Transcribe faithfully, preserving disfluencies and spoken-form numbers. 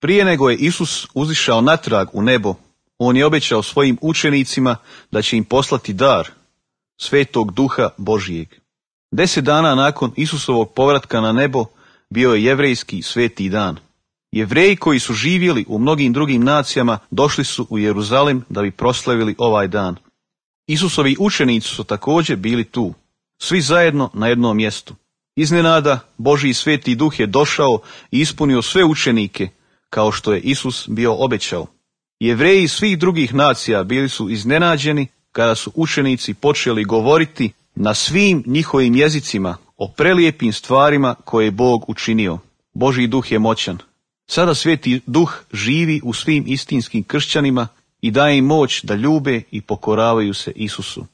Prije nego je Isus uzišao natrag u nebo, on je obećao svojim učenicima da će im poslati dar, Svetog Duha Božijeg. Deset dana nakon Isusovog povratka na nebo bio je jevrejski sveti dan. Jevreji koji su živjeli u mnogim drugim nacijama došli su u Jeruzalem da bi proslavili ovaj dan. Isusovi učenici su također bili tu, svi zajedno na jednom mjestu. Iznenada Božji sveti Duh je došao i ispunio sve učenike, kao što je Isus bio obećao. Jevreji svih drugih nacija bili su iznenađeni kada su učenici počeli govoriti na svim njihovim jezicima o prelijepim stvarima koje je Bog učinio. Božji Duh je moćan. Sada Sveti Duh živi u svim istinskim kršćanima i daje im moć da ljube i pokoravaju se Isusu.